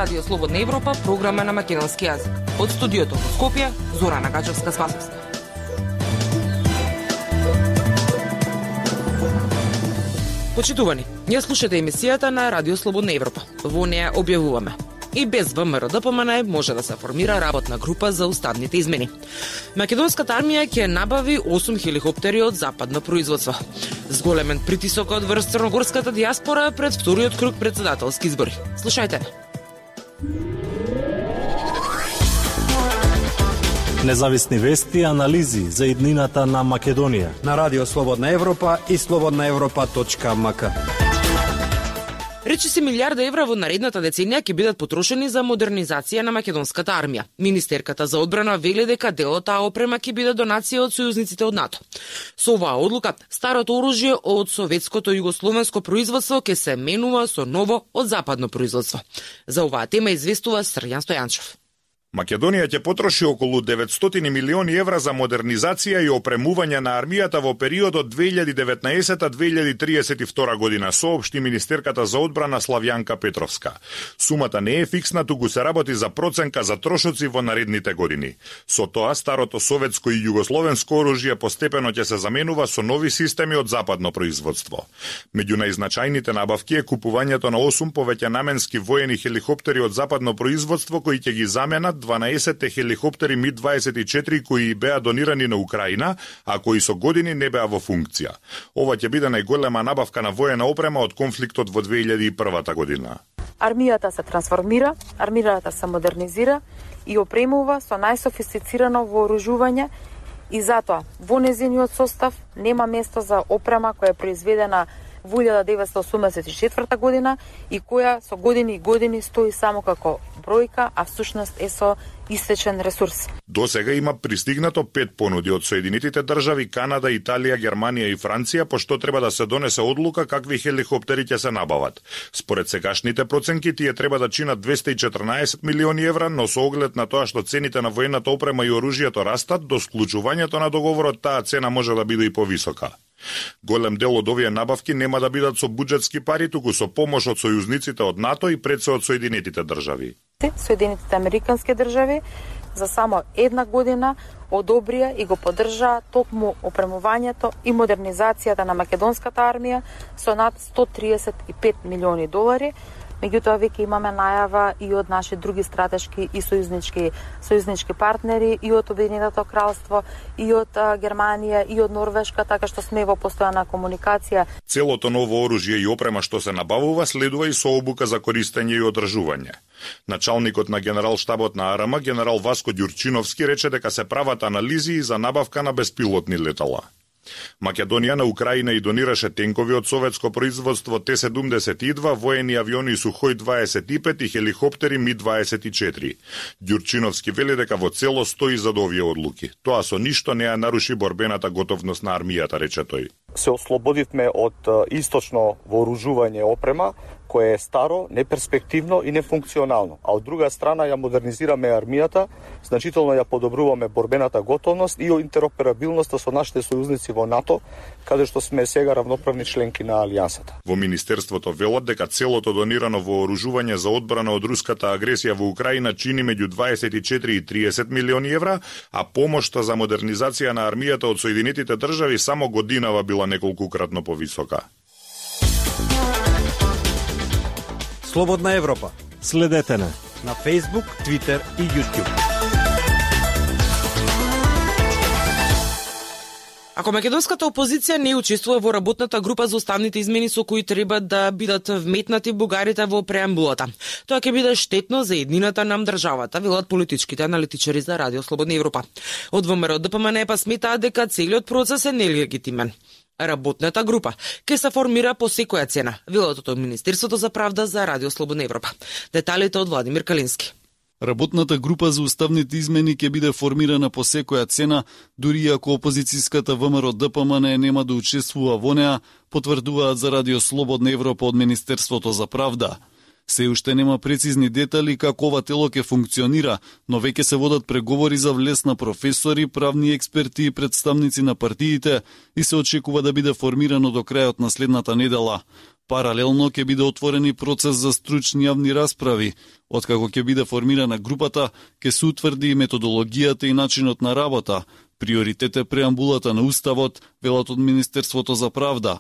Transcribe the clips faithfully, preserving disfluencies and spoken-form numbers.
Радио Слободна Европа, програма на македонски јазик. Од студиото во Скопје, Зорана Гачевска-Спасовска. Почитувани, ја слушате емисијата на Радио Слободна Европа. Во неја објавуваме: и без ВМРО-ДПМН може да се формира работна група за уставните измени. Македонската армија ќе набави осум хеликоптери од западно производство. Зголемен притисок од врз црногорската дијаспора пред вториот круг претседателски избори. Слушајте. Независни вести и анализи за иднината на Македонија на Радио Слободна Европа и слободна европа точка ем ка. Речиси милиарда евра во наредната деценија ќе бидат потрошени за модернизација на македонската армија. Министерката за одбрана вели дека дел од таа опрема ќе биде донација од сојузниците од НАТО. Со оваа одлука, старото оружје од советското југословенско производство ќе се менува со ново од западно производство. За оваа тема известува Срјан Стојанчов. Македонија ќе потроши околу деветстотини милиони евра за модернизација и опремување на армијата во периодот две илјади и деветнаесета до две илјади триесет и втора година, соопшти министерката за одбрана Славјанка Петровска. Сумата не е фиксна, туку се работи за проценка за трошоци во наредните години. Со тоа, старото советско и југословенско оружје постепено ќе се заменува со нови системи од западно производство. Меѓу најзначајните набавки е купувањето на осум повеќенаменски воени хеликоптери од западно производство кои ќе ги заменат дванаесет хеликоптери Ми дваесет и четири кои беа донирани на Украина, а кои со години не беа во функција. Ова ќе биде најголема набавка на воена опрема од конфликтот во две илјади и прва година. Армијата се трансформира, армијата се модернизира и опремува со најсофистицирано вооружување и затоа во нејзиниот состав нема место за опрема која е произведена во илјада деветстотини осумдесет и четврта година и која со години и години стои само како бројка, а всушност е со истечен ресурс. До сега има пристигнато пет понуди од Соединетите држави, Канада, Италија, Германија и Франција, пошто треба да се донесе одлука какви хеликоптери ќе се набават. Според сегашните проценки, тие треба да чинат двесте и четрнаесет милиони евра, но со оглед на тоа што цените на воената опрема и оружјето растат, до склучувањето на договорот таа цена може да биде и повисока. Голем дел од овие набавки нема да бидат со буџетски пари, туку со помош од сојузниците од НАТО и пред се од Соединетите држави. Соединетите американски држави за само една година одобрија и го поддржаа токму опремувањето и модернизацијата на македонската армија со над сто триесет и пет милиони долари. Меѓутоа, веќе имаме најава и од наши други стратешки и сојузнички, сојузнички партнери, и од Обединетото кралство, и од а, Германија, и од Норвешка, така што сме во постојана комуникација. Целото ново оружје и опрема што се набавува следува и со обука за користење и одржување. Началникот на генерал-штабот на АРМ, генерал Васко Ѓурчиновски, рече дека се прават анализи за набавка на беспилотни летала. Македонија на Украина и донираше тенкови од советско производство Т седумдесет и два, воени авиони Сухој дваесет и пет и хеликоптери Ми дваесет и четири. Ѓурчиновски вели дека во цело стои за овие одлуки. Тоа со ништо не ја наруши борбената готовност на армијата, рече тој. Се ослободивме од источно вооружување опрема, кое е старо, неперспективно и нефункционално. А од друга страна ја модернизираме армијата, значително ја подобруваме борбената готовност и интероперабилноста со нашите сојузници во НАТО, каде што сме сега равноправни членки на Алијансата. Во Министерството велат дека целото донирано вооружување за одбрана од руската агресија во Украина чини меѓу дваесет и четири и триесет милиони евра, а помошта за модернизација на армијата од Соединетите држави само годинава била неколкукратно повисока. Слободна Европа. Следете на на Facebook, Twitter и YouTube. Ако македонската опозиција не учествува во работната група за уставните измени со кои треба да бидат вметнати бугарите во преамбулата, тоа ќе биде штетно за еднината на државата, велат политичките аналитичари за Радио Слободна Европа. Од ВМРО-ДПМН па сметаат дека целиот процес е нелегитимен. Работната група ќе се формира по секоја цена, велат од Министерството за правда за Радио Слободна Европа. Деталите од Владимир Калински. Работната група за уставните измени ќе биде формирана по секоја цена, дури ако опозицијската ВМРО-ДПМН нема да учествува во неа, потврдуваат за Радио Слободна Европа од Министерството за правда. Се уште нема прецизни детали како ова тело ќе функционира, но веќе се водат преговори за влез на професори, правни експерти и представници на партиите и се очекува да биде формирано до крајот на следната недела. Паралелно ќе биде отворен и процес за стручни јавни расправи. Откако ќе биде формирана групата, ќе се утврди и методологијата и начинот на работа. Приоритет е преамбулата на Уставот, велат од Министерството за правда.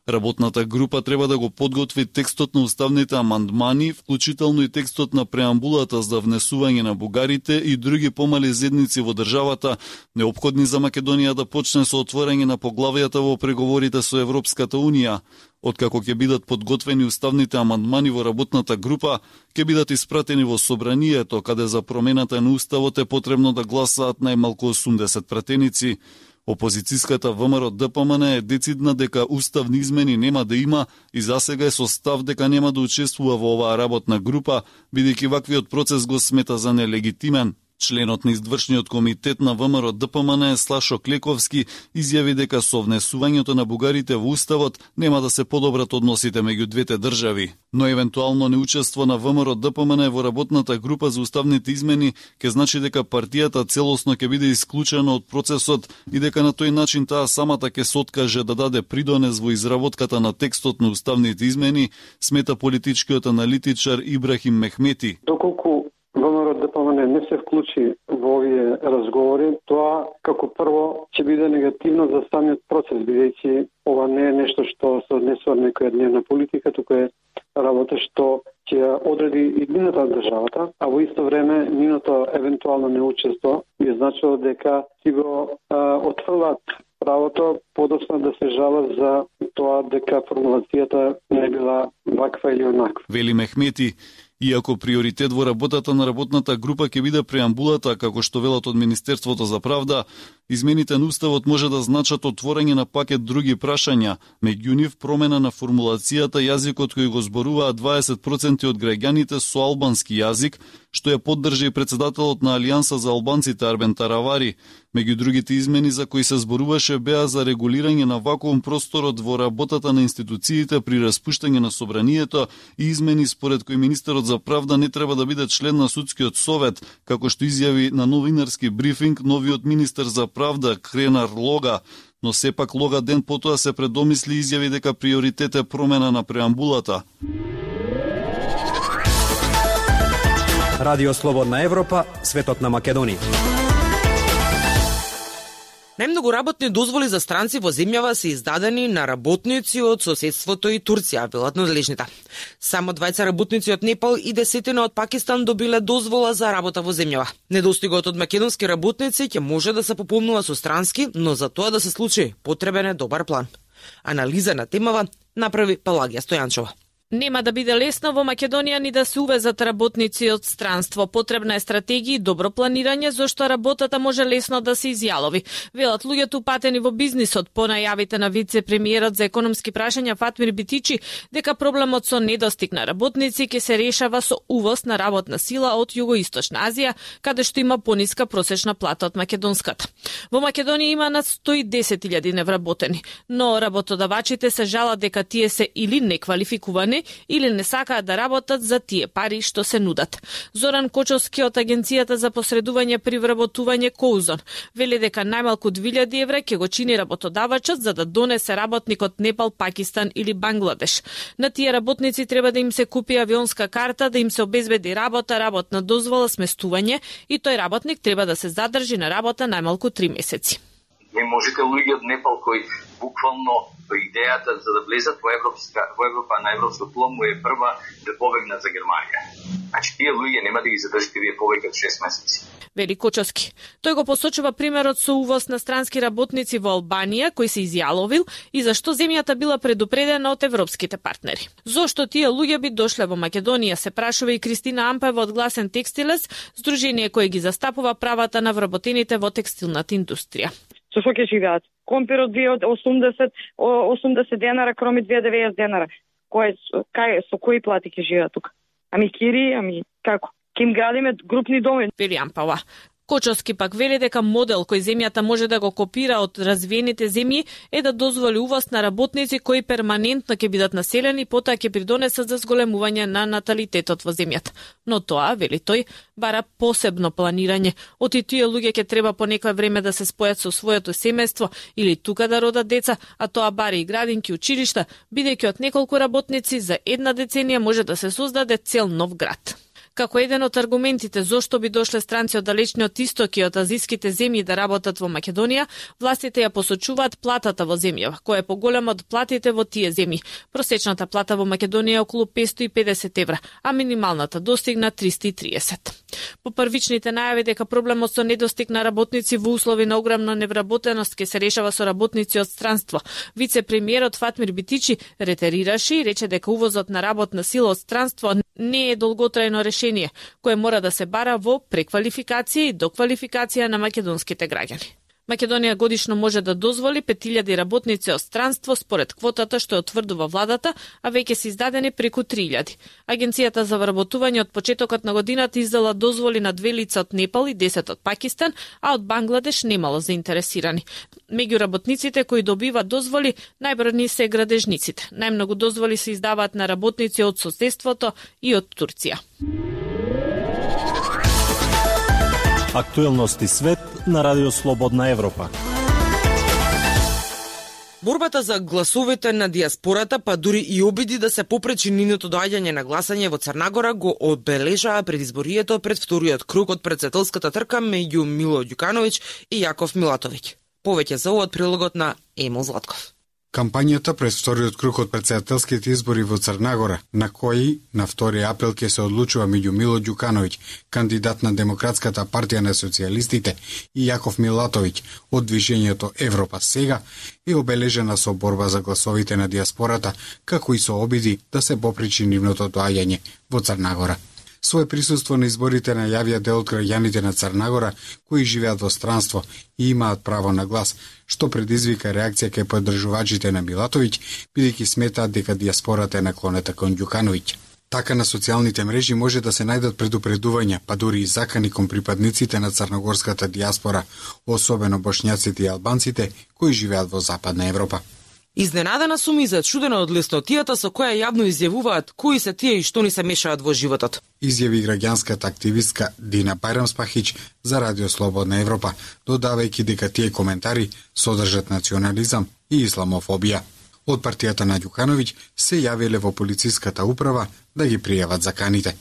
Работната група треба да го подготви текстот на уставните амандмани, вклучително и текстот на преамбулата за внесување на бугарите и други помали зедници во државата, неопходни за Македонија да почне со отворање на поглавијата во преговорите со Европската Унија. Откако ќе бидат подготвени уставните амандмани во работната група, ќе бидат испратени во собранието, каде за промената на уставот е потребно да гласаат најмалку осумдесет пратеници. Опозицијската ВМРО Д П М Н е децидна дека уставни измени нема да има и засега е со став дека нема да учествува во оваа работна група, бидејќи ваквиот процес го смета за нелегитимен. Членот на извршниот комитет на ВМРО Д П М Н Слашо Клековски изјави дека со внесувањето на бугарите во уставот нема да се подобрат односите меѓу двете држави, но евентуално неучество на ВМРО Д П М Н во работната група за уставните измени ќе значи дека партијата целосно ќе биде исклучена од процесот и дека на тој начин таа самата ќе се откаже да даде придонес во изработката на текстот на уставните измени, смета политичкиот аналитичар Ибрахим Мехмети. Доколку ВМРО Д П М Н не се вклучи во овие разговори, тоа како прво ќе биде негативно за самиот процес, бидејќи ова не е нешто што се однесува на некоја дневна политика, туку е работа што ќе одреди иднината на државата, а во исто време ниното евентуално неучество би значило дека си го отфрлат правото подоцна да се жала за тоа дека формулацијата не била ваква или онаква. Вели Мехмети, иако приоритет во работата на работната група ќе биде преамбулата, како што велат од Министерството за правда, измените на уставот може да значат отворање на пакет други прашања, меѓу нив промена на формулацијата јазикот кој го зборуваат дваесет проценти од граѓаните со албански јазик, што ја поддржа и председателот на Алијанса за албанците Арбен Таравари. Меѓу другите измени за кои се зборуваше беа за регулирање на вакуум просторот во работата на институциите при распуштање на собранието и измени според кои министерот за правда не треба да биде член на судскиот совет, како што изјави на новинарски брифинг новиот министер за правда Кренар Лога, но сепак Лога ден потоа се предомисли и изјави дека приоритет е промена на преамбулата. Радио Слободна Европа, светот на Македонија. Најмногу работни дозволи за странци во земјава се издадени на работници од соседството и Турција, велат надлежните. Само двајца работници од Непал и десетина од Пакистан добиле дозвола за работа во земјава. Недостигот од македонски работници ќе може да се пополнува со странски, но за тоа да се случи потребен е добар план. Анализа на темава направи Палагија Стојанчова. Нема да биде лесно во Македонија ни да се увезат работници од странство. Потребна е стратегија и добро планирање, зашто работата може лесно да се изјалови. Велат луѓето упатени во бизнисот по најавите на вице-премиерот за економски прашања Фатмир Битичи дека проблемот со недостиг на работници ќе се решава со увоз на работна сила од Југоисточна Азија, каде што има пониска просечна плата од македонската. Во Македонија има над сто и десет илјади невработени, но работодавачите се жалат дека тие се или неквалификувани или не сакаат да работат за тие пари што се нудат. Зоран Кочовски од Агенцијата за посредување при вработување Коузон вели дека најмалку две илјади евра ќе го чини работодавачот за да донесе работник од Непал, Пакистан или Бангладеш. На тие работници треба да им се купи авионска карта, да им се обезбеди работа, работна дозвола, сместување и тој работник треба да се задржи на работа најмалку три месеци. Не можете луѓе од Непал кои буквално идејата за да влезат во Европска во Европа на европско тло му е прва да побегнат за Германија. Значи тие луѓе нема да ги задржите вие повеќе од шест месеци. Вели Кочовски. Тој го посочува примерот со увоз на странски работници во Албанија кој се изјаловил и зашто земјата била предупредена од европските партнери. Зошто тие луѓе би дошле во Македонија, се прашува и Кристина Ампева од Гласен текстилес, здружение кое ги застапува правата на вработените во текстилната индустрија. Со што ќе живеат? Компир од две осумдесет денара, кроми две деветдесет денара. Кој кај со кои плати ќе живеат тука? Ами кири, ами како? Ќе им градиме групни доми. Вели Ампава. Кочовски пак вели дека модел кој земјата може да го копира од развиените земји е да дозволи увоз на работници кои перманентно ќе бидат населени, потоа ќе придонесат за зголемување на наталитетот во земјата. Но тоа, вели тој, бара посебно планирање. Оти тие луѓе ќе треба по некое време да се спојат со своето семејство или тука да родат деца, а тоа бари и градинки, училишта, бидејќи од неколку работници за една деценија може да се создаде цел нов град. Како еден од аргументите зошто би дошле странци од далечниот исток и од азиските земји да работат во Македонија, властите ја посочуваат платата во земјава, која е поголема од платите во тие земји. Просечната плата во Македонија е околу петстотини и педесет евра, а минималната достигна триста и триесет. По првичните најави дека проблемот со недостиг на работници во услови на огромна невработеност ќе се решава со работници од странство, вице-премиерот Фатмир Битичи ретерираше и рече дека увозот на работна сила од странство не е долготрајно решение, кое мора да се бара во преквалификација и доквалификација на македонските граѓани. Македонија годишно може да дозволи пет илјади работници од странство според квотата што ја утврдува владата, а веќе се издадени преку три илјади. Агенцијата за вработување од почетокот на годината издала дозволи на две лица од Непал и десет од Пакистан, а од Бангладеш немало заинтересирани. Меѓу работниците кои добиваат дозволи, најбројни се градежниците. Најмногу дозволи се издаваат на работници од соседството и од Турција. Актуелности свет на Радио Слободна Европа. Борбата за гласовите на диаспората, па дури и обиди да се попречи нивното доаѓање на гласање во Црнагора го одбележаа предизборието пред вториот круг од претседателската трка меѓу Мило Ѓукановиќ и Јаков Милатовиќ. Повеќе за ова од прилогот на Емил Златков. Кампањата пред вториот круг од претседателските избори во Црнагора, на кои на втори април ќе се одлучува меѓу Мило Ѓукановиќ, кандидат на Демократската партија на социјалистите, и Јаков Милатовиќ од движењето Европа сега, е обележена со борба за гласовите на диаспората, како и со обиди да се попречи нивното доаѓање во Црнагора. Своје присуство на изборите најавија дел од граѓаните на Црнагора кои живеат во странство и имаат право на глас, што предизвика реакција кај поддржувачите на Милатовиќ, бидејќи сметаат дека диаспората е наклонета кон Ѓукановиќ. Така на социјалните мрежи може да се најдат предупредувања, па дури и закани кон припадниците на црногорската диаспора, особено бошњаците и албанците кои живеат во Западна Европа. Изненадена сум и зачудена од леснотијата со која јавно изјавуваат кои се тие и што ни се мешаат во животот. Изјави граѓанската активистка Дина Бајрамспахиќ за Радио Слободна Европа, додавајќи дека тие коментари содржат национализам и исламофобија. Од партијата на Ѓукановиќ се јавиле во полициската управа да ги пријават заканите.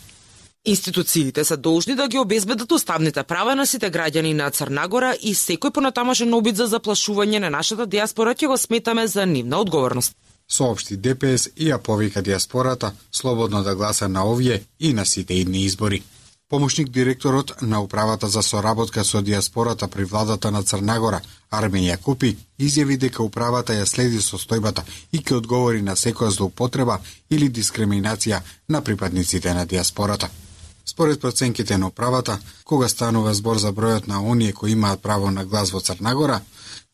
Институциите се должни да ги обезбедат уставните права на сите граѓани на Црнагора и секој понатамошен обид за заплашување на нашата диаспора ќе го сметаме за нивна одговорност. Соопшти ДПС и ја повика диаспората слободно да гласа на овие и на сите идни избори. Помошник директорот на управата за соработка со диаспората при владата на Црнагора, Армен Јакупи, изјави дека управата ја следи состојбата и ќе одговори на секоја злоупотреба или дискриминација на припадниците на диаспората. Според проценките на управата, кога станува збор за бројот на оние кои имаат право на глас во Црнагора,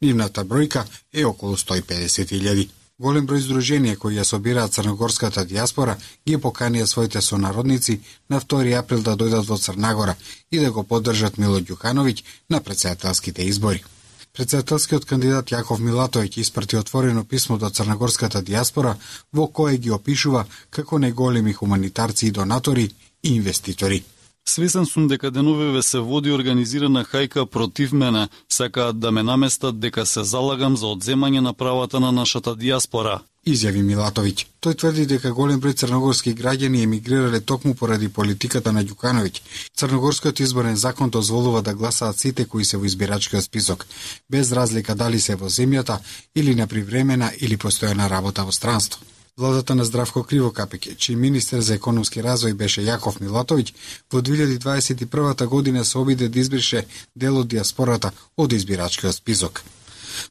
нивната бројка е околу сто и педесет илјади. Голем број здруженија кои ја собираат црногорската диаспора ги поканија своите сонародници на втори април да дојдат во Црнагора и да го поддржат Мило Ѓукановиќ на претседателските избори. Претседателскиот кандидат Јаков Милатовиќ испрати отворено писмо до црногорската диаспора во кое ги опишува како најголеми хуманитарци и донатори и инвеститори. Свесен сум дека деновиве се води организирана хајка против мене, сакаат да ме наместат дека се залагам за одземање на правата на нашата диаспора, изјави Милатовиќ. Тој тврди дека голем број црногорски граѓани емигрирале токму поради политиката на Ѓукановиќ. Црногорскиот изборен закон дозволува да гласаат сите кои се во избирачкиот список, без разлика дали се во земјата или на привремена или постојана работа во странство. Владата на Здравко Кривокапиќ, чиј министер за економски развој беше Јаков Милатовиќ, во две илјади дваесет и прва година се обиде да избрише дел од диаспората од избирачкиот список.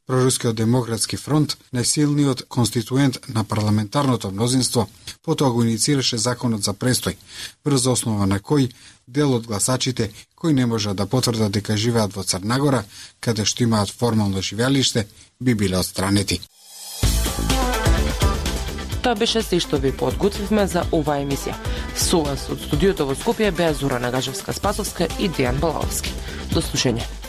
Прорускиот демократски фронт, најсилниот конституент на парламентарното мнозинство, потоа го иницираше законот за престој, врз основа на кој дел од гласачите кои не можат да потврдат дека живеат во Црнагора, каде што имаат формално живеалиште, би биле отстранети. Тоа беше се што ви подготвивме за оваа емисија. Со вас од студиото во Скопје беа Зора Нагажевска-Спасовска и Дејан Балаовски. До слушање.